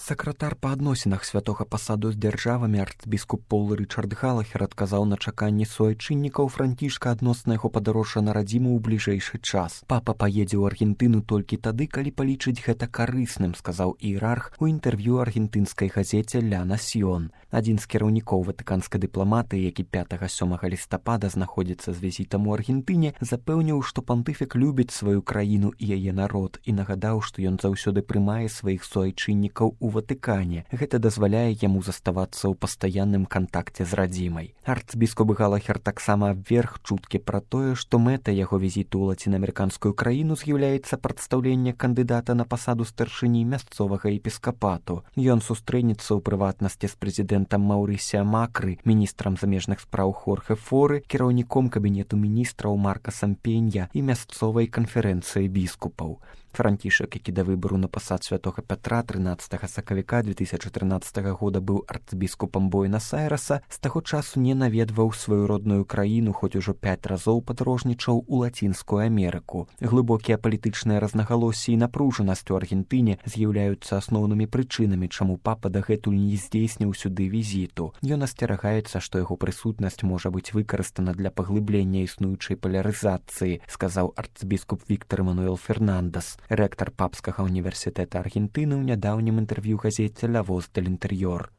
Сакратар па адносінах святога пасаду з дзяржавамі арцбіскуп Пол Рычард Галахер адказаў на чаканні суайчыннікаў Францішка адносна яго падарожжа на радзіму ў бліжэйшы час. Папа паедзе ў Аргентыну толькі тады, калі палічыць гэта карысным, сказаў іерарх у інтэрв'ю аргентынскай газеце «Ля Насьон». Адзін з кіраўнікоў ватыканскай дыпламатыі, які 5-7 лістапада знаходзіцца з візітам у Аргентыне, запэўніў, што пантыфік любіць сваю краіну і яе народ і нагадаў, што ён заўсёды прымае сваіх суайчыннікаў у Ватыкане. Гэта дазваляе яму заставацца ў пастаянным кантакце з радзімай. Арцбіскуп Галахер таксама абверг чуткі пра тое, што мэта яго візіту ў лацінаамерыканскую краіну з'яўляецца прадстаўленне кандыдата на пасаду старшыні мясцовага епіскапату. Ён сустрэнецца ў прыватнасці з прэзідэнтам Маўрысія Макры, міністрам замежных спраў Хорхе Форы, кіраўніком кабінету міністраў Маркасам Пенья і мясцовай канферэнцыі біскупаў. Францішак, які да выбару на пасад святога Пятра 13 сакавіка 2013 года быў арцбіскупам Буэнас-Айрэса, з таго часу не наведваў сваю родную краіну, хоць ужо 5 разоў падарожнічаў у Лацінскую Амерыку. Глыбокія палітычныя рознагалоссі і напружанасць у Аргентыне з'яўляюцца асноўнымі прычынамі, чаму папа дагэтуль не здзейсніў сюды візіту. Ён асцерагаецца, што яго прысутнасць можа быць выкарыстана для паглыблення існуючай палярызацыі, сказаў арцбіскуп Віктор Эмануэл Фернандес, рэктар папскага універсітэта Аргентыны ў нядаўнім інтэрв'ю газеце «Ля Воз дель Інтэр'ёр».